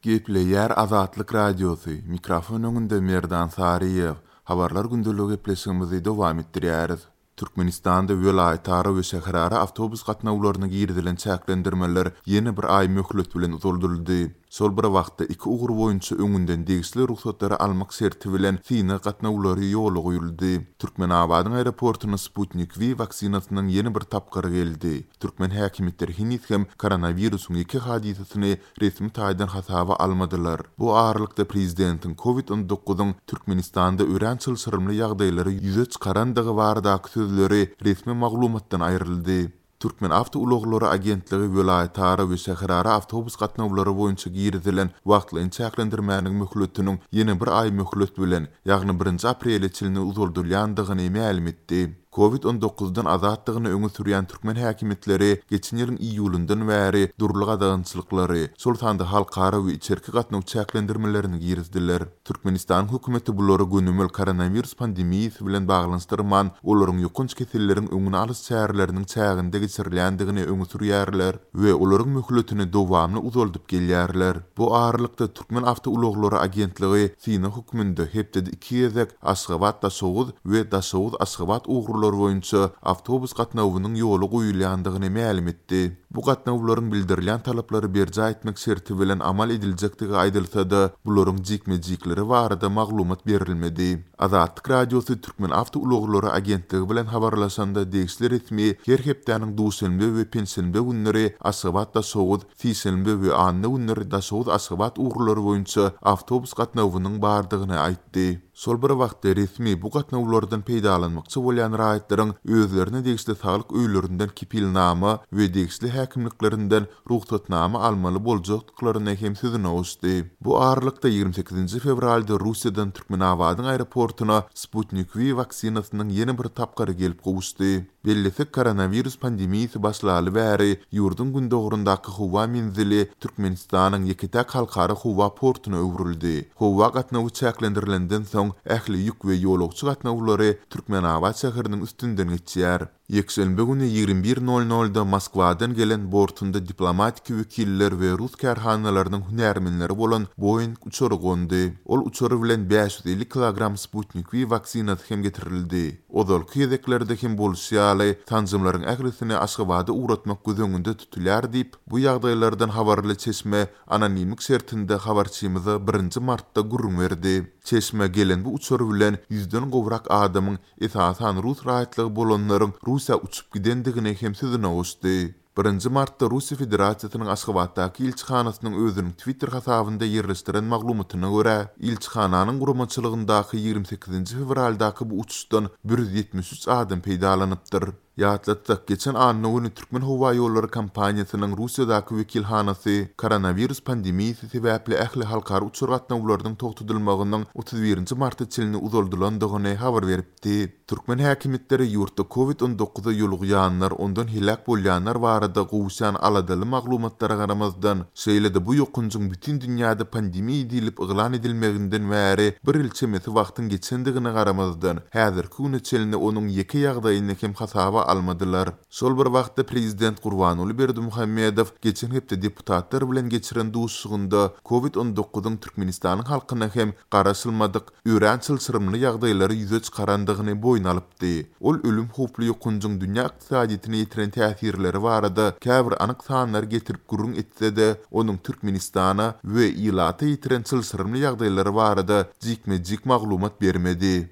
Gepleýär Azatlyk Radiosy, mikrofon öňünde Merdan Saryýew. Habarlar gündeligi gepleşigimizi dowam etdirýäris. Türkmenistanda welaýatara we şäherara awtobus gatnawlaryna girizilen çäklendirmeler ýene bir aý möhlet bilen uzaldyldy. Şol bir wagtda, iki ugur boýunça öňünden degişli rugsatlary almak şerti bilen synag gatnawlary ýola goýuldy. Türkmenabadyň aeroportuna Sputnik V waksinasynyň ýene bir tapgyry geldi. Türkmen häkimiýetleri heniz hem koronawirusyň ýeke hadysasyny resmi taýdan hasaba almadylar. Bu aralykda prezidentiň Covid on dokuzyň Türkmenistanda örän çylşyrymly ýagdaýlary ýüze çykarandygy baradaky sözleri resmi maglumatdan aýryldy. Türkmenawtoulaglary agentligi welaýatara we şäherara awtobus gatnawlary boýunça girizilen wagtlaýyn çäklendirmäniň möhletiniň ýene bir aý möhlet bilen, ýagny birinji aprele çenli uzaldylýandygyny mälim etdi. Covid on dokuzdan azatdygyny öňe sürýän türkmen häkimiýetleri geçen ýylyň iýulyndan bäri dürli gadagançylyklary, şol sanda halkara we içerki gatnaw çäklendirmelerini girizdiler. Türkmenistanyň hökümeti bulary gönümel koronawirus pandemiýasy bilen baglanyşdyrman, olaryň ýokanç keselleriň öňüni alyş çäreleriniň çäginde geçirilýändigini öňe sürýärler we olaryň möhletini dowamly uzaldyp gelýärler. Bu aralykda, Türkmenawtoulaglary agentligi synag hökmünde hepdede iki gezek Aşgabat-Daşoguz we Daşoguz-Aşgabat ugurlary boýunça awtobus gatnawynyň ýola goýulýandygyny mälim etdi. Bu gatnawlaryň bildirilýän talaplary berjaý etmek şerti bilen amal ediljekdigi aýdylsa-da, bularyň jikme-jikleri barada maglumat berilmedi. Azatlyk Radiosy Türkmenawtoulaglary agentligi bilen habarlaşanda degişli resmi her hepdäniň duşenbe we penşenbe günleri Aşgabat-Daşoguz, Sişenbe we anna günleri Daşoguz-Aşgabat ugurlary boýunça awtobus gatnawynyň bardygyny aýtdy. Şol bir wagtda, resmi bu gatnawlardan peýdalanmakçy bolýan raýatlaryň özlerine degişli saglyk öýlerinden kepilnama we degişli häkimliklerinden rugsatnama almaly boljakdyklaryny hem sözüne goşdy. Bu aralykda, 28-nji fewralda Russiýadan Türkmenabadyň aeroportuna Sputnik V waksinasynyň ýene bir tapgyry gelip gowuşdy. Bellesek, koronawirus pandemiýasy başlaly bäri ýurduň gündogaryndaky howa menzili Türkmenistanyň ýeke-täk halkara howa portuna öwrüldi. Howa gatnawy çäklendirilenden soň, ähli ýük we ýolagçy gatnawlary Türkmenabat şäheriniň üstünden geçýär. Ýekşenbe güni 21 nol-nolda Moskwadan gelen bortunda diplomatiki wekiller we rus kärhanalarynyň hünärmenleri bolan Boeing uçary gondy. Ol uçar bilen 550 kilogram Sputnik V waksinasy hem getirildi. Ozalky gezeklerde hem bolşy ýaly, sanjymlaryň ählisini Aşgabada ugratmak göz öňünde tutulýar diýip, bu ýagdaýlardan habarly çeşme anonimlik şertinde habarçymyza birinji martda gürrüň berdi. Çeşme gelen bu uçar bilen ýüzden gowrak adamyň, esasan rus raýatlygy bolanlaryň Russiýa uçup gidendigini hem sözüne goşdy. Birinji martda Russiýa Federasiýasynyň Aşgabatdaky ilçihanasynyň özüniň Twitter hasabynda ýerleşdiren maglumatyna görä, ilçihananyň guramaçylygyndaky 28-nji fewraldaky bu uçuşdan 173 adam peýdalanypdyr. Ýatlatsak, geçen anna güni Türkmenhowaýollary kompaniýasynyň Russiýadaky wekilhanasy koronawirus pandemiýasy sebäpli ähli halkara uçar gatnawlarynyň togtadylmagynyň 31-nji marta çenli uzaldylandygyny habar beripdi. Türkmen häkimiýetleri ýurtda Covid on dokuza ýolugýanlar, ondan heläk bolýanlar barada gowuşýan aladaly maglumatlara garamazdan, şeýle-de bu ýokanjyň bütin dünýäde pandemiýa diýlip yglan edilmeginden bäri bir ýyl çemesi wagtyň geçendigine garamazdan, häzirki güne çenli onuň ýeke ýagdaýyny hem hasaba almadylar. Şol bir wagtda, prezident Gurbanguly Berdimuhamedow geçen hepde deputatlar bilen geçiren duşuşygynda Covid on dokuzyň Türkmenistanyň halkyna hem garaşylmadyk, örän çylşyrymly ýagdaýlary ýüze çykarandygyny boýun alypdy. Ol ölüm howply ýokanjyň dünýä ykdysadyýetine ýetiren täsirleri barada käbir anyk sanlary getirip gürrüň etse-de, onuň Türkmenistana we ilata ýetiren çylşyrymly ýagdaýlary barada jikme-jik maglumat bermedi.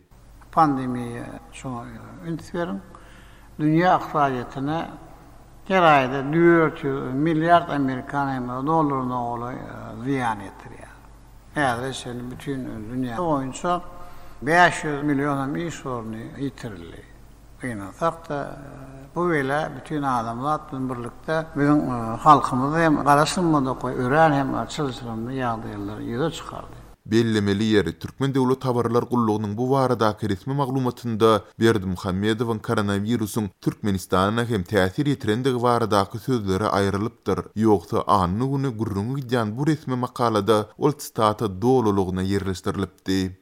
Pandemiýa şoňa üns beriň. Dünýä ykdysadyýetine her aýda 400 milliard amerikan dollaryna golaý zyýan ýetirýär. Häzire çenli bütin dünýä boýunça 500 million hem iş orny ýitirildi. Gynansak-da, bu bela bütin adamzat bilen birlikde biziň halkymyzy hem garaşylmadyk we örän hem çylşyrymly ýagdaýlary ýüze çykardy. Bellemeli ýeri, Türkmen döwlet habarlar gullugynyň bu baradaky resmi maglumatynda Berdimuhamedowyň koronawirusyň Türkmenistana hem täsir ýetirendigi baradaky sözleri aýrylypdyr. Ýogsa, anna güni gürrüňi gidýän bu resmi makalada ol sitata dolulygyna ýerleşdirilipdi.